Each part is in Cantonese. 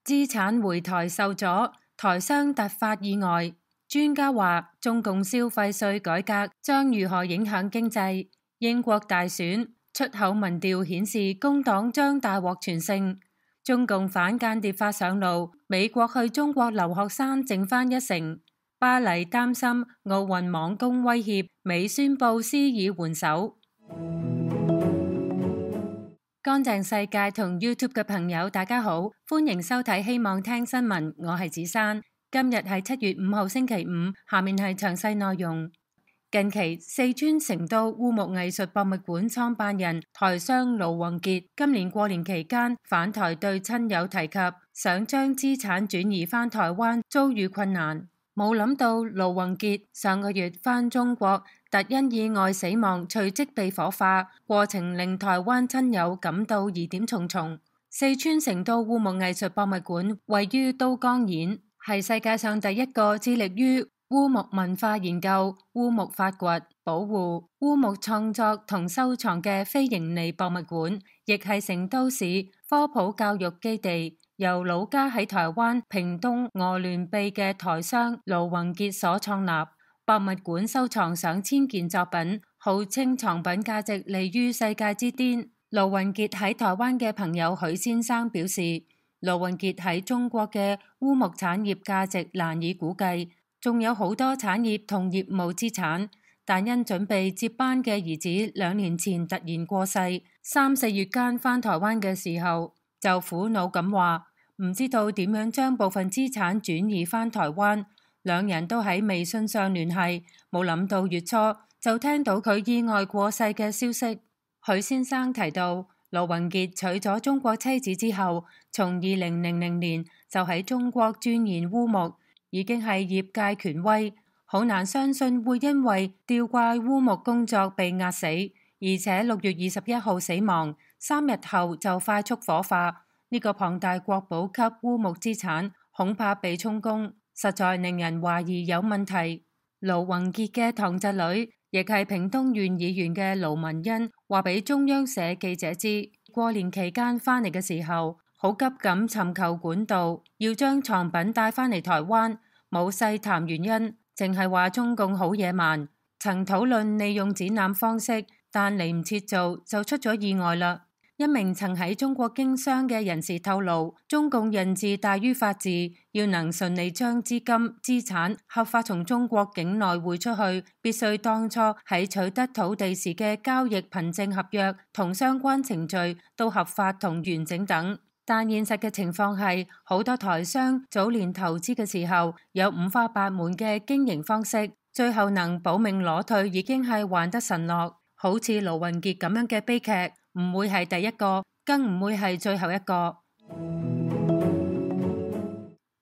資產回台受阻，台商突發意外。專家話中共消費稅改革將如何影響經濟？英國大選出口民調顯示工黨將大獲全勝。中共反間諜法上路，美國去中國留學生剩返1成。巴黎擔心奧運網攻威脅，美宣布施以援手。乾淨世界同 YouTube 嘅朋友大家好，歡迎收睇希望聽新聞，我係子珊。今日係7月5號星期五，下面係詳細內容。近期四川成都烏木藝術博物館創辦人台商盧宏傑今年過年期間返台，對親友提及想將資產轉移返台灣，遭遇困難。冇諗到盧宏傑上個月返中國，突因意外死亡，隨即被火化，過程令台灣親友感到疑點重重。四川成都烏木藝術博物館位於都江堰，係世界上第一個致力於烏木文化研究、烏木發掘、保護、烏木創作同收藏嘅非營利博物館，亦係成都市科普教育基地，由老家喺台灣屏東鵝鑾鼻嘅台商盧宏傑所創立。博物館收藏上千件作品，號稱藏品價值利於世界之巔。盧宏傑喺台灣嘅朋友許先生表示，盧宏傑喺中國嘅烏木產業價值難以估計，仲有好多產業同業務資產，但因準備接班嘅兒子2年前突然過世，3、4月間返台灣嘅時候就苦惱咁話，唔知道點樣將部分資產轉移返台灣。兩人都喺微信上聯繫，冇諗到月初就聽到佢意外過世嘅消息。許先生提到，盧宏傑娶咗中國妻子之後，從2000年就喺中國鑽研烏木，已經係業界權威，好難相信會因為吊掛烏木工作被壓死，而且6月21號死亡，3日後就快速火化。呢個龐大國寶級烏木資產恐怕被充公，實在令人懷疑有問題。盧宏傑嘅堂侄女，亦係屏東縣議員嘅盧文欣話俾中央社記者知，過年期間返嚟嘅時候，好急咁尋求管道，要將藏品帶返嚟台灣，冇細談原因，淨係話中共好野蠻，曾討論利用展覽方式，但嚟唔切做就出咗意外啦。一名曾喺中國經商嘅人士透露，中共人治大於法治，要能順利將資金資產合法從中國境內匯出去，必須當初喺取得土地時嘅交易憑證合約同相關程序都合法同完整等。但現實嘅情況係，好多台商早年投資嘅時候有五花八門嘅經營方式，最後能保命裸退已經係還得神落。好似盧宏傑咁樣嘅悲劇唔會係第一個，更唔會係最後一個。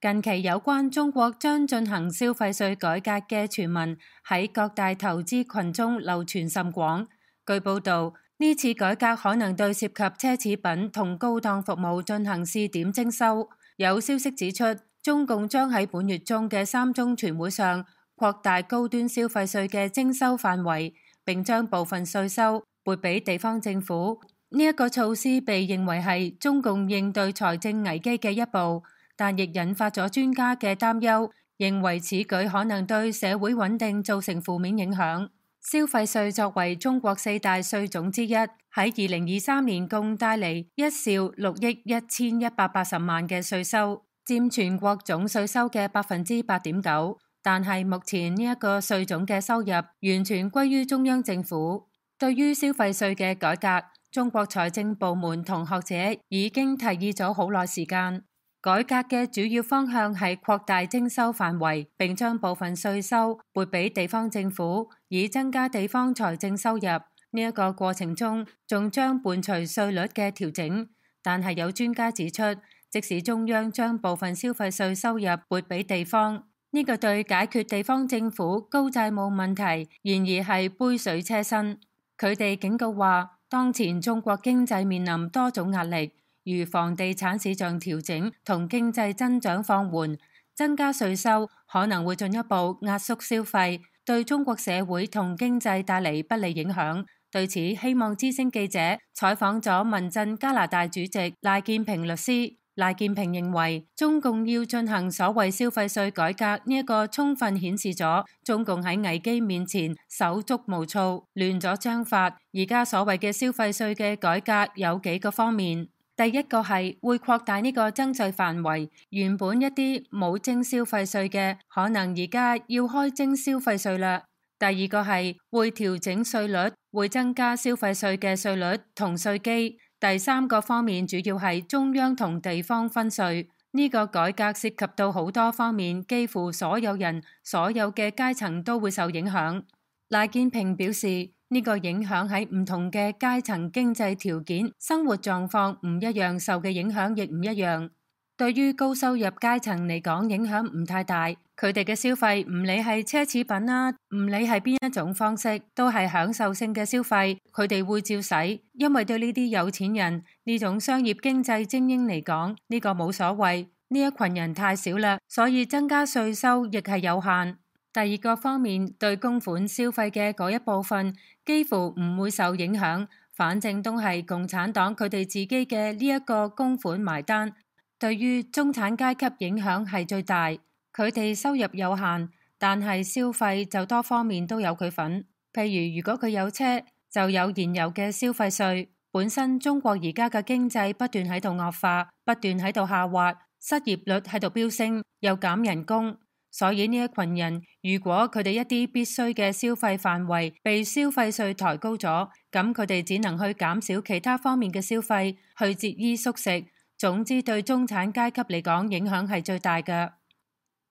近期有關中國將進行消費稅改革嘅傳聞喺各大投資群中流傳甚廣。據報道，呢次改革可能對涉及奢侈品同高檔服務進行試點徵收。有消息指出，中共將喺本月中嘅3中全會上擴大高端消費稅嘅徵收範圍，並將部分稅收撥俾地方政府。呢一個措施被認為係中共應對財政危機嘅一步，但亦引發咗專家嘅擔憂，認為此舉可能對社會穩定造成負面影響。消費稅作為中國4大稅種之一，喺2023年共帶嚟1兆6億1180萬嘅稅收，佔全國總稅收嘅8.9%。但係目前呢一個稅種嘅收入完全歸於中央政府。對於消費稅嘅改革，中國財政部門同學者已經提議咗好耐時間。改革嘅主要方向係擴大徵收範圍，並將部分稅收撥俾地方政府，以增加地方財政收入。呢一個過程中，仲將伴隨稅率嘅調整。但係有專家指出，即使中央將部分消費稅收入撥俾地方，呢個對解決地方政府高債務問題，然而係杯水車薪。佢哋警告話，當前中國經濟面臨多種壓力，如房地產市場調整同經濟增長放緩，增加稅收可能會進一步壓縮消費，對中國社會同經濟帶嚟不利影響。對此，希望之聲記者採訪咗民陣加拿大主席賴建平律師。賴建平認為，中共要進行所謂消費稅改革呢一個充分顯示咗中共喺危機面前手足無措，亂咗章法。而家所謂嘅消費稅嘅改革有幾個方面，第一個係會擴大呢個徵稅範圍，原本一啲冇徵消費稅嘅，可能而家要開徵消費稅啦。第二個係會調整稅率，會增加消費稅嘅稅率同稅基。第三個方面主要係中央同地方分稅，呢個改革涉及到好多方面，幾乎所有人、所有嘅階層都會受影響。賴建平表示，呢個影響喺唔同嘅階層、經濟條件、生活狀況唔一樣，受嘅影響亦唔一樣。對於高收入階層嚟講，影響唔太大，佢哋嘅消費唔理係奢侈品啦，唔理係邊一種方式，都係享受性嘅消費，佢哋會照使，因為對呢啲有錢人呢種商業經濟精英嚟講，呢個冇所謂，呢一群人太少啦，所以增加稅收亦係有限。第二個方面，對公款消費嘅嗰一部分幾乎唔會受影響，反正都係共產黨佢哋自己嘅呢一個公款埋單。對於中產階級影響係最大，佢哋收入有限，但係消費就多方面都有佢份。譬如如果佢有車，就有燃油嘅消費稅。本身中國而家嘅經濟不斷喺度惡化，不斷喺度下滑，失業率喺度飆升，又減人工，所以呢一群人如果佢哋一啲必須嘅消費範圍被消費稅抬高咗，咁佢哋只能去減少其他方面嘅消費，去節衣縮食。總之對中產階級嚟講影響係最大嘅。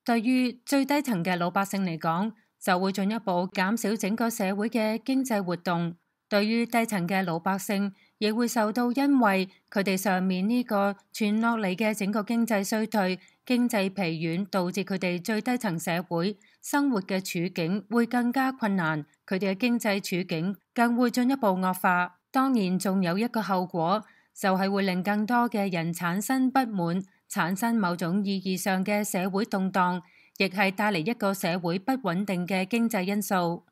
對於最低層嘅老百姓嚟講，就會進一步減少整個社會嘅經濟活動。對於低層嘅老百姓，亦會受到因為佢哋上面呢個傳落嚟嘅整個經濟衰退、經濟疲軟，導致佢哋最低層社會生活嘅處境會更加困難，佢哋嘅經濟處境更會進一步惡化。當然仲有一個後果，就係會令更多嘅人產生不滿，產生某種意義上嘅社會動盪，亦係帶嚟一個社會不穩定嘅經濟因素。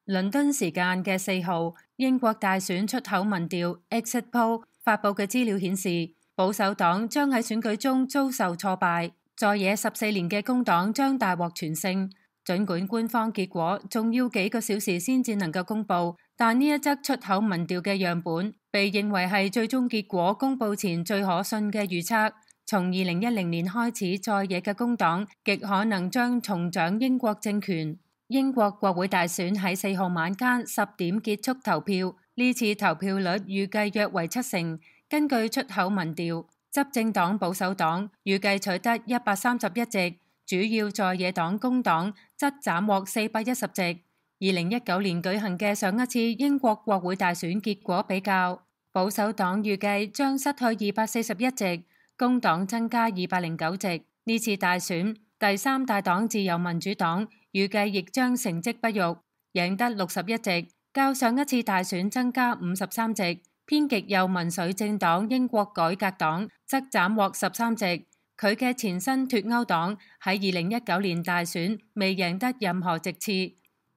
倫敦時間嘅4號，英國大選出口民調 Exit Poll 發佈嘅資料顯示，保守黨將喺選舉中遭受挫敗，在野14年嘅工黨將大獲全勝。儘管官方結果仲要幾個小時先至能夠公佈，但呢一則出口民調嘅樣本被認為係最終結果公佈前最可信嘅預測。從2010年開始，在野嘅工黨極可能將重掌英國政權。英國國會大選喺4號晚間10點結束投票，呢次投票率預計約為70%。根據出口民調，執政黨保守黨預計取得131席。主要在野黨工黨則斬獲410席。2019年舉行嘅上一次英國國會大選結果比較，保守黨預計將失去241席，工黨增加209席。呢次大選，第三大黨自由民主黨預計亦將成績不俗，贏得61席，較上一次大選增加53席。偏極右民粹政黨英國改革黨則斬獲13席。佢嘅前身脫歐黨喺2019年大選未贏得任何席次。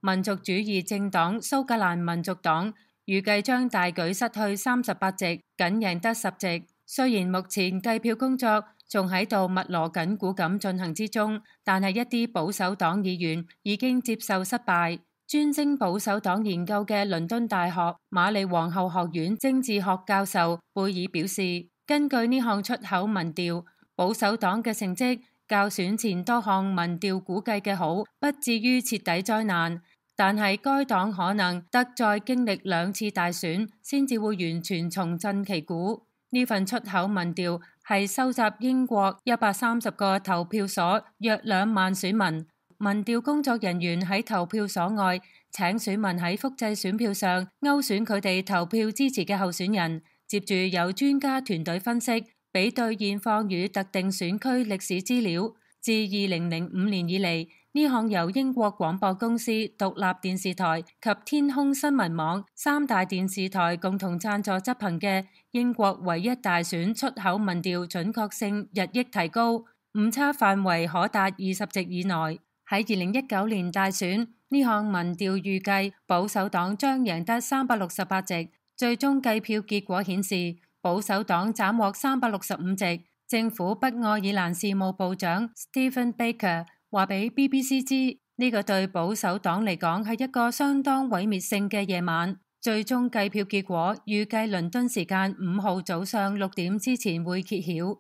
民族主義政黨蘇格蘭民族黨預計將大舉失去38席，僅贏得10席。雖然目前計票工作仲喺度密鑼緊鼓咁進行之中，但係一啲保守黨議員已經接受失敗。專精保守黨研究嘅倫敦大學瑪麗皇后學院政治學教授貝爾表示，根據呢項出口民調，保守黨嘅成績較選前多項民調估計嘅好，不至於徹底災難，但係該黨可能得再經歷2次大選先至會完全重振旗鼓。呢份出口民調係收集英國130個投票所約2萬選民，民調工作人員喺投票所外請選民喺複製選票上勾選佢哋投票支持嘅候選人，接住由專家團隊分析，比對現況與特定選區歷史資料。自2005年以嚟，呢項由英國廣播公司、獨立電視台及天空新聞網3大電視台共同贊助執行嘅英國唯一大選出口民調準確性日益提高，誤差範圍可達20席以內。喺2019年大選，呢項民調預計保守黨將贏得368席，最終計票結果顯示，保守黨斬獲365席。政府北愛爾蘭事務部長 Stephen Baker 話俾 BBC 知，呢個對保守黨嚟講係一個相當毀滅性嘅夜晚。最終計票結果預計倫敦時間5號早上6點之前會揭曉。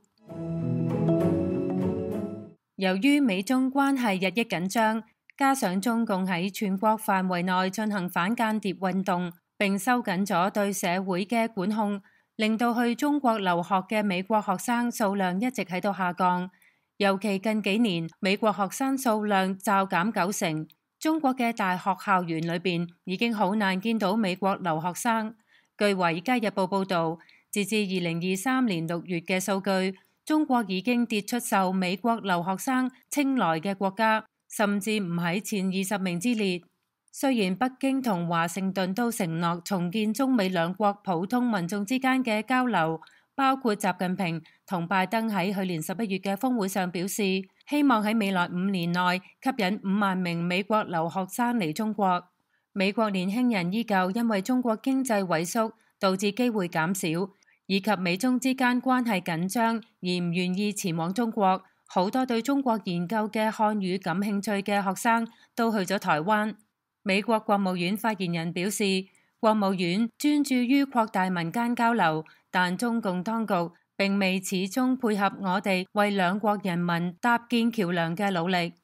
由於美中關係日益緊張，加上中共喺全國範圍內進行反間諜運動，並收緊咗對社會嘅管控，令到去中國留學嘅美國學生數量一直喺度下降。尤其近幾年，美國學生數量驟減90%。中國嘅大學校園裏邊已經好難見到美國留學生。據《華爾街日報》報導，截至2023年6月嘅數據，中國已經跌出受美國留學生青睞嘅國家，甚至唔喺前20名之列。雖然北京同華盛頓都承諾重建中美兩國普通民眾之間嘅交流，包括習近平同拜登喺去年11月嘅峰會上表示，希望喺未來5年內吸引5萬名美國留學生嚟中國。美國年輕人依舊因為中國經濟萎縮導致機會減少，以及美中之間關係緊張而唔願意前往中國。好多對中國研究嘅漢語感興趣嘅學生都去咗台灣。美國國務院發言人表示，國務院專注於擴大民間交流，但中共當局並未始終配合我哋為兩國人民搭建橋樑嘅努力。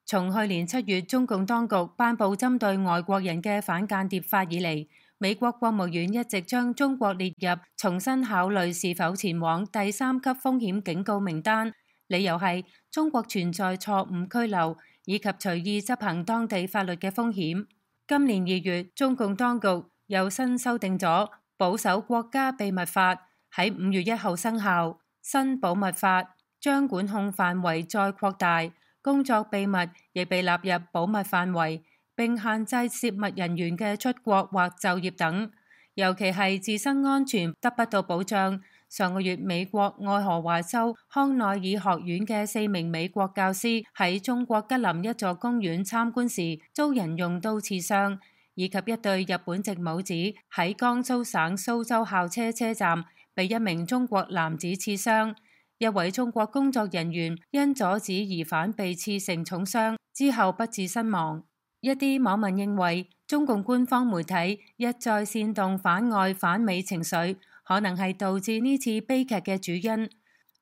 從去年7月中共當局頒布針對外國人嘅反間諜法以嚟，美國國務院一直將中國列入重新考慮是否前往第3級風險警告名單，理由係中國存在錯誤拘留以及隨意執行當地法律嘅風險。今年2月，中共當局又新修訂咗保守國家秘密法，喺5月1號生效。新保密法將管控範圍再擴大，工作秘密亦被納入保密範圍，並限制涉密人員嘅出國或就業等，尤其係自身安全得不到保障。上個月，美國愛荷華州康奈爾學院嘅4名美國教師喺中國吉林一座公園參觀時遭人用刀刺傷，以及一對日本籍母子喺江蘇省蘇州校車車站被一名中國男子刺傷。一位中國工作人員因阻止疑犯被刺成重傷之後不治身亡。一啲網民認為，中共官方媒體一再煽動反外反美情緒，可能係導致呢次悲劇嘅主因。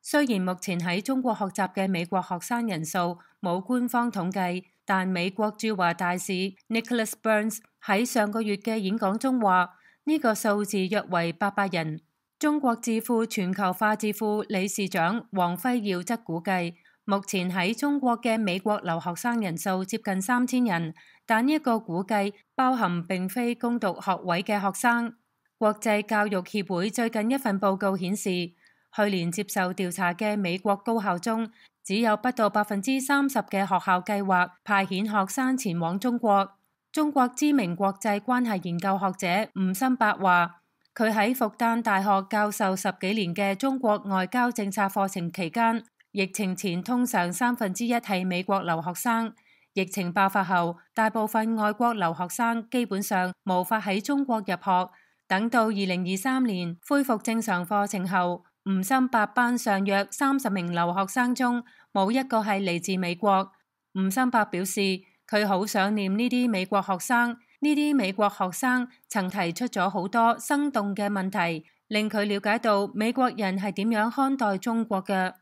雖然目前喺中國學習嘅美國學生人數冇官方統計，但美國駐華大使 Nicholas Burns 喺上個月嘅演講中話，呢個數字約為800人。中國智庫全球化智庫理事長王輝耀則估計，目前喺中國嘅美國留學生人數接近3000人，但呢一個估計包含並非攻讀學位嘅學生。國際教育協會最近一份報告顯示，去年接受調查嘅美國高校中，只有不到30%嘅學校計劃派遣學生前往中國。中國知名國際關係研究學者吳心伯話，佢喺復旦大學教授10幾年嘅中國外交政策課程期間，疫情前通常1/3係美國留學生。疫情爆發後，大部分外國留學生基本上無法喺中國入學。等到2023年恢復正常課程後，吳心伯班上約30名留學生中冇一個係嚟自美國。吳心伯表示，佢好想念呢啲美國學生。呢啲美國學生曾提出咗好多生動嘅問題，令佢了解到美國人係點樣看待中國嘅。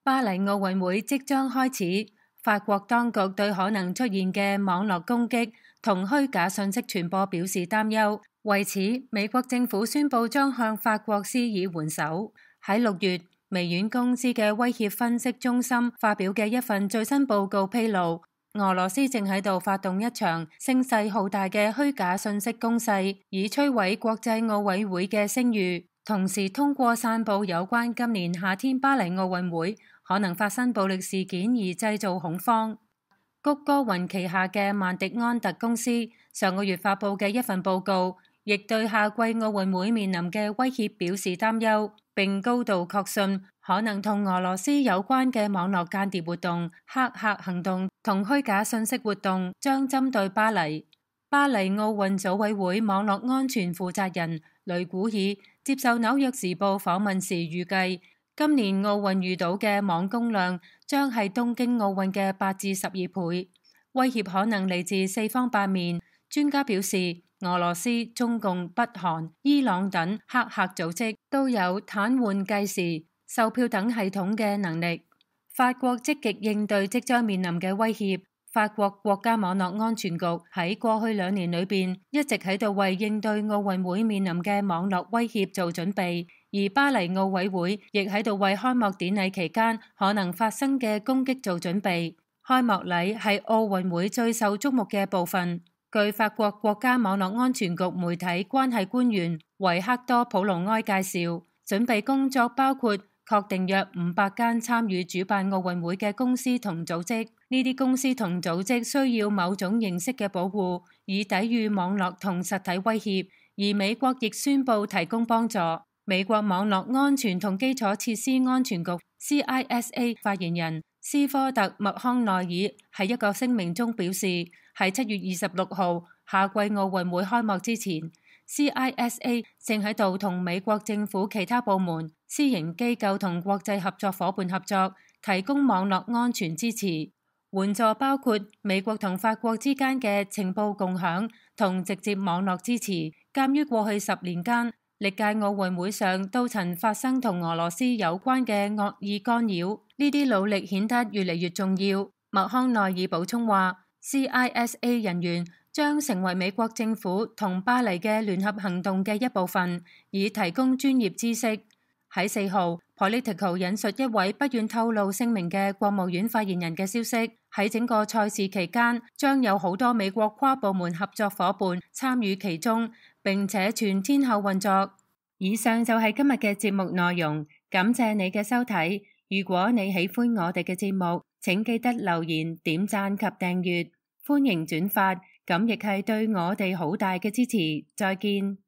巴黎奧運會即將開始，法國當局對可能出現嘅網絡攻擊同虛假信息傳播表示擔憂。為此，美國政府宣布將向法國施以援手。喺6月，微軟公司嘅威脅分析中心發表嘅一份最新報告披露，俄羅斯正喺度發動一場聲勢浩大嘅虛假信息攻勢，以摧毀國際奧委會嘅聲譽，同時通過散布有關今年夏天巴黎奧運會可能發生暴力事件而製造恐慌。谷歌雲旗下嘅曼迪安特公司上個月發布嘅一份報告，亦對夏季奧運會面臨嘅威脅表示擔憂，並高度確信可能同俄羅斯有關嘅網絡間諜活動、黑客行動同虛假信息活動將針對巴黎。巴黎奧運組委會網絡安全負責人雷古爾接受《紐約時報》訪問時預計，今年奧運遇到嘅網攻量將係東京奧運嘅8至12倍，威脅可能嚟自四方八面。專家表示，俄羅斯、中共、北韓、伊朗等黑客組織都有癱瘓計時、售票等系統嘅能力。法國積極應對即將面臨嘅威脅。法國國家網絡安全局喺過去2年裏邊一直喺度為應對奧運會面臨嘅網絡威脅做準備，而巴黎奧委會亦喺度為開幕典禮期間可能發生嘅攻擊做準備。開幕禮係奧運會最受矚目嘅部分。據法國國家網絡安全局媒體關係官員維克多普魯埃介紹，準備工作包括確定約500間參與主辦奧運會嘅公司同組織。呢啲公司同組織需要某種形式嘅保護，以抵禦網絡同實體威脅。而美國亦宣布提供幫助。美國網絡安全同基礎設施安全局 CISA 發言人斯科特·麥康奈爾喺一個聲明中表示，喺7月26號夏季奧運會開幕之前，CISA 正喺度同美國政府其他部門、私營機構同國際合作夥伴合作，提供網絡安全支持，援助包括美國同法國之間嘅情報共享同直接網絡支持。鑑於過去10年間，歷屆奧運會上都曾發生同俄羅斯有關嘅惡意干擾，呢啲努力顯得越嚟越重要。麥康奈爾補充話，CISA 人員將成為美國政府同巴黎嘅聯合行動嘅一部分，以提供專業知識。喺4號，Politico 引述一位不願透露姓名嘅國務院發言人嘅消息，喺整個賽事期間將有好多美國跨部門合作夥伴參與其中，並且全天候運作。以上就係今日嘅節目內容，感謝你嘅收睇。如果你喜歡我哋嘅節目，請記得留言、點讚及訂閱，歡迎轉發，咁亦係對我哋好大嘅支持。再見。